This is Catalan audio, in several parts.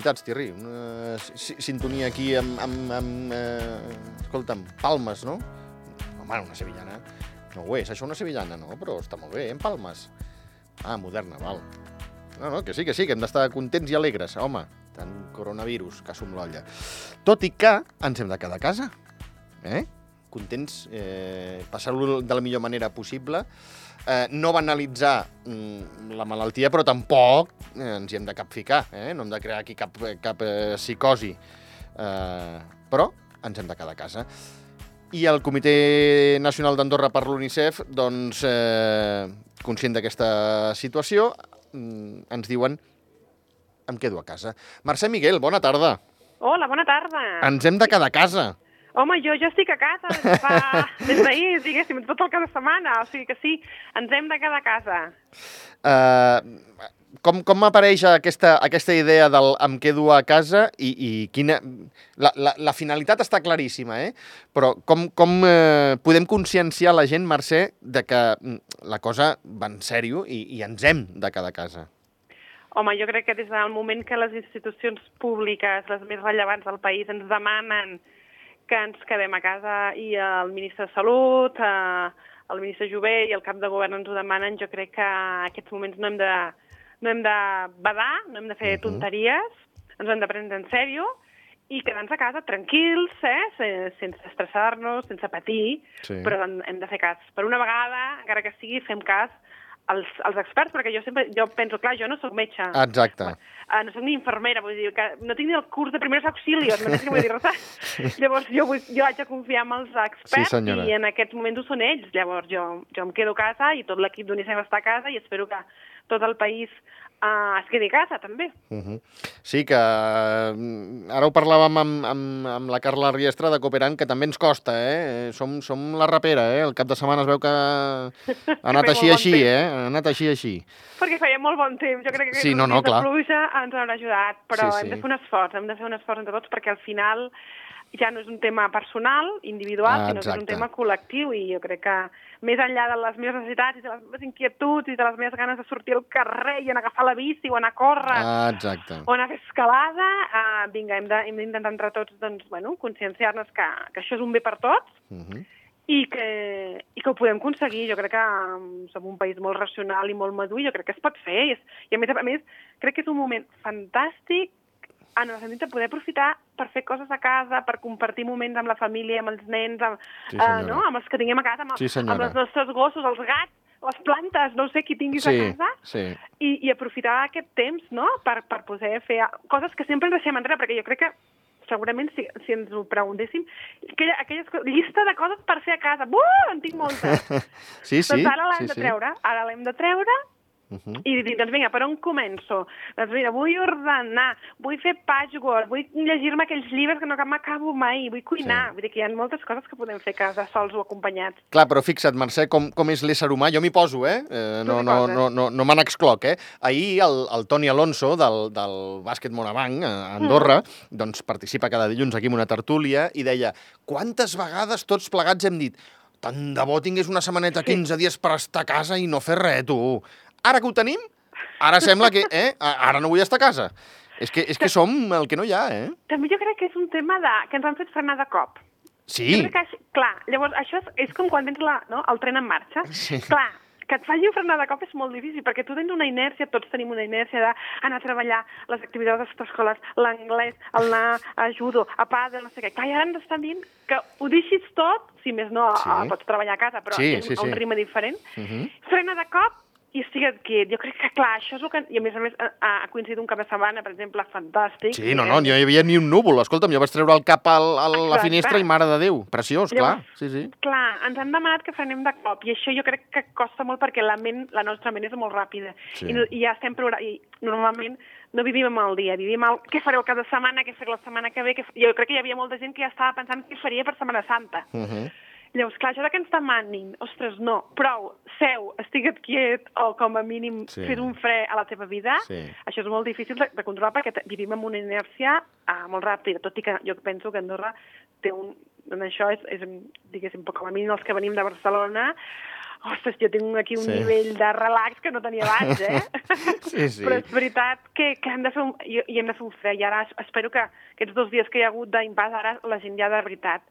felicitats, Thierry. Una sintonia aquí amb escolta'm, palmes, no? Home, una sevillana. No ho és, això una sevillana, no? Però està molt bé, en palmes. Ah, moderna, val. No, que sí, que hem d'estar contents i alegres. Home, tant coronavirus, que som l'olla. Tot i que ens hem de quedar a casa. Contents, passar-ho de la millor manera possible. No banalitzar la malaltia, però tampoc ens hi hem de capficar. No hem de crear aquí cap psicosi. Però ens hem de quedar a casa. I el Comitè Nacional d'Andorra per l'UNICEF, doncs, conscient d'aquesta situació, ens diuen em quedo a casa. Mercè Miguel, bona tarda. Hola, bona tarda. Ens hem de quedar a casa. Home, jo estic a casa des d'ahir, diguéssim, tot el cap de setmana, o sigui que sí, ens hem de quedar a casa. Com apareix aquesta idea del em quedo a casa i quina... La finalitat està claríssima, però com podem conscienciar la gent, Mercè, de que la cosa va en sèrio i ens hem de quedar a casa? Home, jo crec que des del moment que les institucions públiques, les més rellevants del país, ens demanen que ens quedem a casa i el ministre de Salut, el ministre Jové i el cap de govern ens ho demanen, jo crec que en aquests moments no hem de badar, no hem de fer tonteries, ens ho hem de prendre en sèrio i quedar-nos a casa tranquils, sense estressar-nos, sense patir, però hem de fer cas. Per una vegada, encara que sigui, fem cas als experts, perquè jo penso, clar, jo no soc metge. Exacte. No soc ni infermera, vull dir, que no tinc ni el curs de primers auxilios, no sé què vull dir. Llavors, jo haig de confiar en els experts i en aquests moments ho són ells. Llavors, jo em quedo a casa i tot l'equip d'UNICEF està a casa i espero que tot el país es quedi a casa, també. Sí, que ara ho parlàvem amb la Carla Riestra de Cooperant, que també ens costa, Som la rapera, El cap de setmana es veu que ha anat així, Ha anat així. Perquè feia molt bon temps. Jo crec que aquest de pluja ens haurà ajudat, però hem de fer un esforç, entre tots, perquè al final ja no és un tema personal, individual, sinó que és un tema col·lectiu, i jo crec que més enllà de les meves necessitats i de les meves inquietuds i de les meves ganes de sortir al carrer i anar a agafar la bici o anar a córrer o anar a fer escalada, vinga, hem d'intentar entre tots conscienciar-nos que això és un bé per tots i que ho podem aconseguir. Jo crec que som un país molt racional i molt madur i jo crec que es pot fer. I a més, crec que és un moment fantàstic en el sentit de poder aprofitar per fer coses a casa, per compartir moments amb la família, amb els nens, amb els que tinguem a casa, amb els nostres gossos, els gats, les plantes, no sé qui tinguis a casa, i aprofitar aquest temps per poder fer coses que sempre ens deixem enrere, perquè jo crec que segurament si ens ho preguntéssim, aquella llista de coses per fer a casa, en tinc moltes. Doncs ara l'hem de treure, i dir, doncs vinga, per on començo? Doncs mira, vull ordenar, vull fer patchwork, vull llegir-me aquells llibres que no m'acabo mai, vull cuinar. Vull dir que hi ha moltes coses que podem fer a casa sols o acompanyats. Clar, però fixa't, Mercè, com és l'ésser humà. Jo m'hi poso, no me n'excloc, Ahir el Toni Alonso, del bàsquet Morabanc, a Andorra, doncs participa cada dilluns aquí en una tertúlia i deia, quantes vegades tots plegats hem dit tant de bo tingués una setmaneta, 15 dies per estar a casa i no fer res, tu. Ara que ho tenim, ara sembla que ara no vull estar a casa. És que som el que no hi ha, També jo crec que és un tema que ens han fet frenar de cop. Sí. Jo crec que, clar, llavors això és com quan tens el tren en marxa. Sí. Clar, que et faci frenar de cop és molt difícil, perquè tu tens una inèrcia, tots tenim una inèrcia d'anar a treballar, les activitats extraescolars, l'anglès, anar a judo, a pàdel, no sé què. Clar, i ara ens estan dient que ho deixis tot, si més no, pots treballar a casa, però a un ritme diferent, frena de cop i estigues quiet. Jo crec que, clar, això és el que... I a més ha coincidit un cap de setmana, per exemple, fantàstic. Sí, no hi havia ni un núvol. Escolta'm, jo vaig treure el cap a la finestra i mare de Déu. Preciós, clar. Sí. Clar, ens han demanat que frenem de cop, i això jo crec que costa molt perquè la nostra ment és molt ràpida. I ja estem programant... I normalment no vivim el dia, vivim el què faré el cap de setmana, què faré la setmana que ve... Jo crec que hi havia molta gent que ja estava pensant què faria per Setmana Santa. Llavors, clar, això que ens demanin, ostres, no, prou, seu, estigue't quiet, o com a mínim fes un fre a la teva vida, això és molt difícil de controlar perquè vivim amb una inèrcia molt ràpida, tot i que jo penso que Andorra té això és diguéssim, com a mínim els que venim de Barcelona, ostres, jo tinc aquí un nivell de relax que no tenia abans, Sí. Però és veritat que hem de fer hem de fer un fre, i ara espero que aquests 2 dies que hi ha hagut d'impàs, ara la gent ja de veritat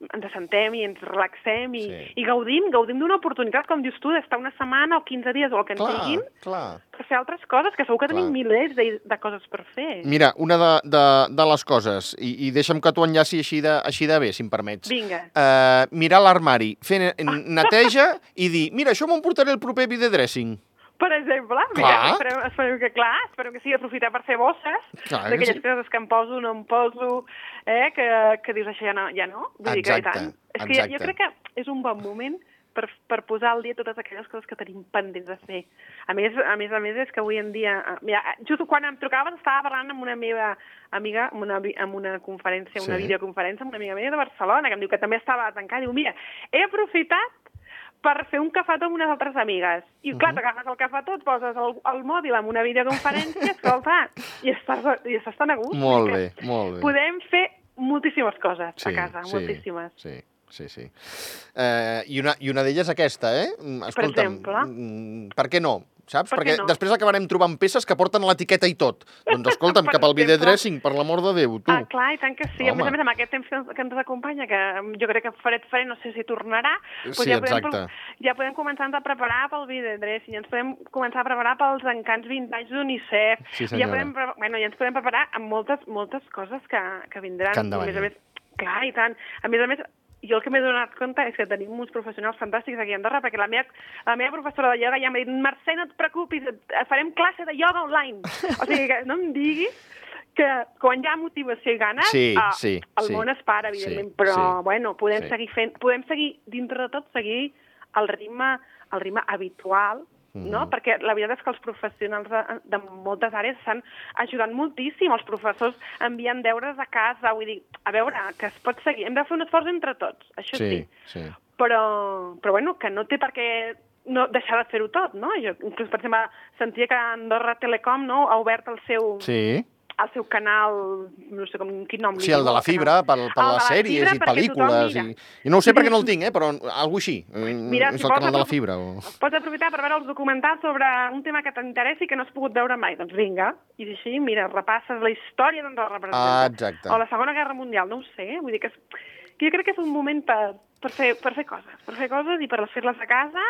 ens assentem i ens relaxem i gaudim d'una oportunitat, com dius tu, d'estar una setmana o 15 dies o el que ens diguin, per fer altres coses, que segur que tenim milers de coses per fer. Mira, una de les coses, i deixa'm que t'ho enllaci així de bé, si em permets. Vinga. Mirar l'armari, fer neteja i dir, mira, això m'ho portaré el proper videodressing. Per exemple, esperem que sigui aprofitar per fer bosses, d'aquelles coses que em poso, no em poso, que dius això ja no. Vull dir que i tant. És que jo crec que és un bon moment per posar al dia totes aquelles coses que tenim pendents de fer. A més, és que avui en dia... Mira, just quan em trucaves estava parlant amb una meva amiga en una conferència, una videoconferència amb una amiga meva de Barcelona, que em diu que també estava tancada. Diu, mira, he aprofitat per fer un cafetó amb unes altres amigues. I clar, t'agafes el cafetó, et poses el mòbil amb una videoconferència, escolta, i estàs tan a gust. Molt bé. Podem fer moltíssimes coses a casa, moltíssimes. Sí. I una d'elles aquesta, Escolta'm, per exemple? Per què no? Saps? Perquè després acabarem trobant peces que porten l'etiqueta i tot. Doncs escolta'm, cap al videodressing, per l'amor de Déu, tu. Clar, i tant que sí. A més, amb aquest temps que ens acompanya, que jo crec que fred, no sé si tornarà, ja podem començar a preparar pel videodressing, ja ens podem començar a preparar pels encants vintage d'UNICEF, ja ens podem preparar amb moltes coses que vindran. Que han de venir. Clar, i tant. A més, jo el que m'he donat compte és que tenim uns professionals fantàstics aquí a Andorra, perquè la meva professora de ioga ja m'ha dit, Mercè, no et preocupis, farem classe de ioga online. O sigui, que no em diguis que quan hi ha motivació i ganes, el món es para, evidentment, però, bueno, podem seguir, dintre de tot, seguir el ritme habitual, no? Perquè la veritat és que els professionals de moltes àrees estan ajudant moltíssim. Els professors envien deures a casa, vull dir, a veure, que es pot seguir. Hem de fer un esforç entre tots, això sí. Però bueno, que no té per què no deixar de fer-ho tot, no? Jo, inclús, per exemple, sentia que Andorra Telecom ha obert el seu canal, no sé quin nom li diu. Sí, el de la fibra, per les sèries i pel·lícules. I no ho sé perquè no el tinc, però alguna cosa així. Mira, és el canal de la fibra. Pots aprofitar per veure els documentals sobre un tema que t'interessi i que no has pogut veure mai. Doncs vinga, i així, mira, repasses la història d'Andorra, per exemple. Exacte. O la Segona Guerra Mundial, no ho sé. Vull dir que jo crec que és un moment per fer coses i per fer-les a casa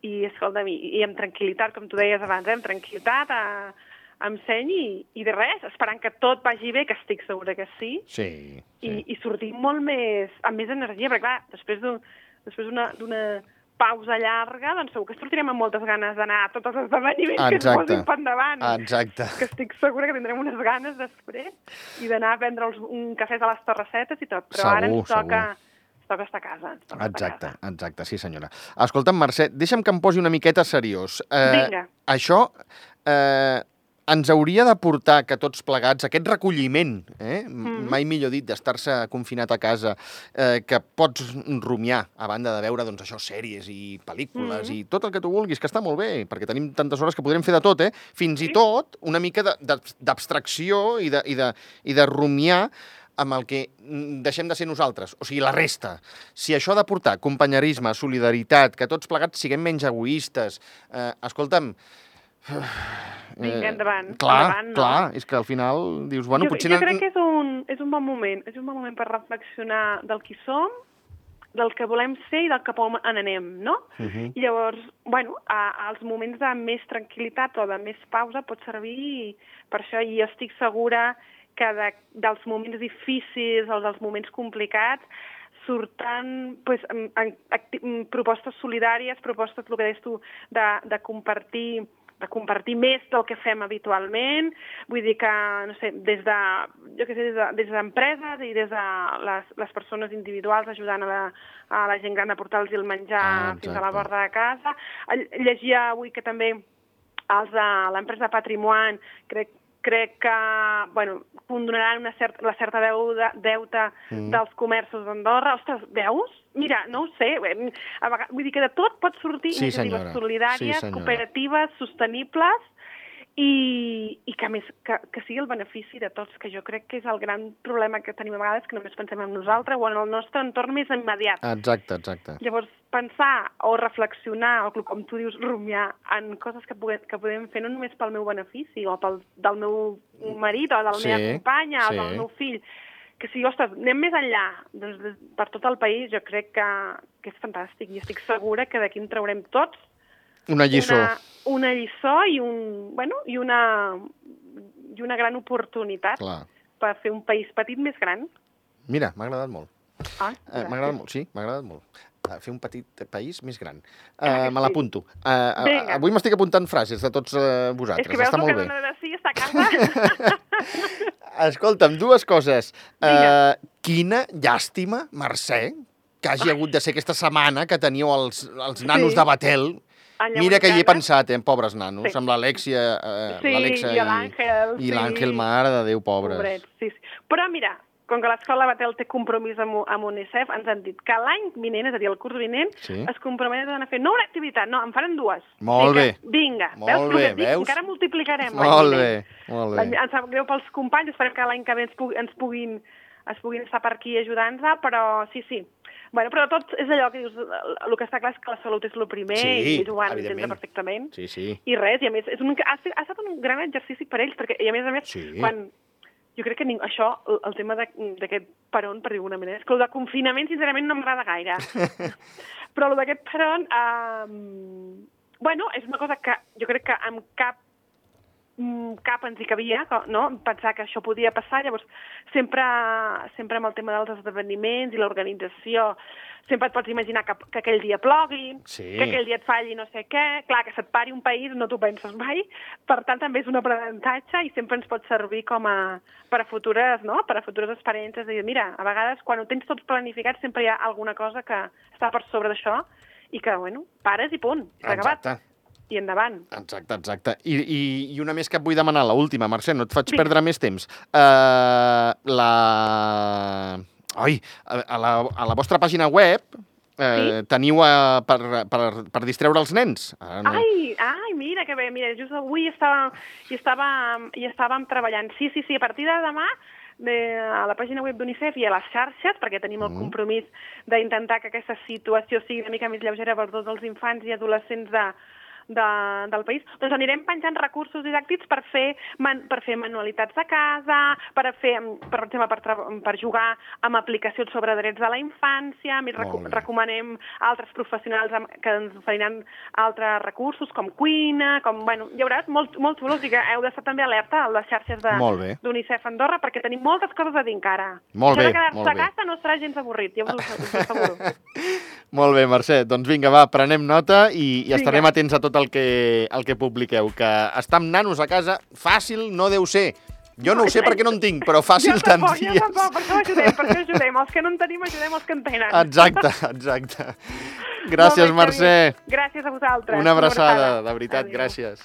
i, escolta'm, i amb tranquil·litat, com tu deies abans, amb tranquil·litat, amb seny i de res, esperant que tot vagi bé, que estic segura que sí. I sortir molt amb més energia, perquè clar, després d'una pausa llarga, doncs segur que sortirem amb moltes ganes d'anar a tots els esdeveniments que ens posin per endavant. Exacte. Que estic segura que tindrem unes ganes després i d'anar a prendre un cafè a les Torresetes i tot, però ara ens toca estar a casa. Exacte, sí senyora. Escolta'm, Mercè, deixa'm que em posi una miqueta seriós. Vinga. Això ens hauria de portar que tots plegats, aquest recolliment, mai millor dit, d'estar-se confinat a casa, que pots rumiar a banda de veure, doncs això, sèries i pel·lícules i tot el que tu vulguis, que està molt bé, perquè tenim tantes hores que podrem fer de tot, fins i tot una mica d'abstracció i de rumiar amb el que deixem de ser nosaltres, o sigui, la resta. Si això ha de portar companyerisme, solidaritat, que tots plegats siguem menys egoistes, escolta'm, vinga, endavant. Clar, és que al final dius, bueno, potser... Jo crec que és un bon moment, per reflexionar del qui som, del que volem ser i del cap on anem, no? I llavors, bueno, als moments de més tranquil·litat o de més pausa pot servir per això, i jo estic segura que dels moments difícils o dels moments complicats surten propostes solidàries, propostes, el que deies tu, de compartir més del que fem habitualment, vull dir que, no sé, des d'empreses i des de les persones individuals ajudant a la gent gran a portar-los el menjar fins a la porta de casa. Llegia avui que també els de l'empresa Patrimoine crec que, bueno, condonaran la certa deute dels comerços d'Andorra. Ostres, veus? Mira, no ho sé. Vull dir que de tot pot sortir iniciatives solidàries, cooperatives, sostenibles i que, a més, que sigui el benefici de tots, que jo crec que és el gran problema que tenim a vegades, que només pensem en nosaltres o en el nostre entorn més immediat. Exacte. Llavors, pensar o reflexionar, o com tu dius, rumiar en coses que podem fer no només pel meu benefici, o del meu marit, o de la meva companya, o del meu fill, que si, ostres, anem més enllà, doncs, per tot el país, jo crec que és fantàstic, i estic segura que d'aquí en traurem tots una lliçó. Una lliçó i una gran oportunitat per fer un país petit més gran. Mira, m'ha agradat molt. M'ha agradat molt, sí, m'ha agradat molt. Fer un petit país més gran. Me l'apunto. Avui m'estic apuntant frases de tots vosaltres. És que veus està el que dona de si, està a casa. Escolta'm, dues coses. Quina llàstima, Mercè, que hagi hagut de ser aquesta setmana que teníeu els nanos de Batel. Mira que hi he pensat, pobres nanos, amb l'Alexia i l'Àngel, mare de Déu, pobres. Pobrets, sí. Però mira, com que l'escola Batel té compromís amb UNICEF, ens han dit que l'any vinent, és a dir, el curs vinent, es comprometen a fer no una activitat, no, en faran dues. Molt bé. Vinga, veus? Encara multiplicarem. Molt bé. Em sap greu pels companys, esperem que l'any que ve ens puguin estar per aquí ajudant-nos, però sí. Bueno, però tot és allò que dius, el que està clar és que la salut és el primer, i ells ho van entendre perfectament. Sí. I res, i a més, ha estat un gran exercici per ells, perquè, i a més, quan... Jo crec que això, el tema d'aquest peron, per dir d'alguna manera, és que el de confinament, sincerament, no m'agrada gaire. Però el d'aquest peron, bueno, és una cosa que jo crec que amb cap ens hi cabia, no? Pensar que això podia passar, llavors sempre amb el tema dels esdeveniments i l'organització, sempre et pots imaginar que aquell dia plogui, que aquell dia et falli no sé què, clar, que se't pari un país no t'ho penses mai, per tant també és un aprenentatge i sempre ens pot servir per a futures experiències, de dir, mira, a vegades quan ho tens tots planificats sempre hi ha alguna cosa que està per sobre d'això i que, bueno, pares i punt, s'ha acabat. I endavant. Exacte. I una més que et vull demanar, l'última, Mercè, no et faig perdre més temps. A la vostra pàgina web teniu per distreure els nens. Ai, mira que bé, mira, just avui hi estàvem treballant. Sí, a partir de demà a la pàgina web d'UNICEF i a les xarxes, perquè tenim el compromís d'intentar que aquesta situació sigui una mica més lleugera per tots els infants i adolescents del país, doncs anirem penjant recursos didàctics per fer manualitats de casa, per exemple, per jugar amb aplicacions sobre drets de la infància, recomanem altres professionals que ens oferiran altres recursos, com cuina, hi haurà molt xulos i que heu d'estar també alerta a les xarxes d'UNICEF Andorra, perquè tenim moltes coses a dir encara. Molt bé, quedar-se a casa no serà gens avorrit, ja us ho asseguro. Molt bé, Mercè, doncs vinga, va, prenem nota i estarem atents a tot el que publiqueu, que estar amb nanos a casa fàcil no deu ser. Jo no ho sé perquè no en tinc, però fàcil tants dies. Jo tampoc, per això ajudem. Els que no en tenim, ajudem els que en tenen. Exacte. Gràcies, Mercè. Gràcies a vosaltres. Una abraçada, de veritat, gràcies.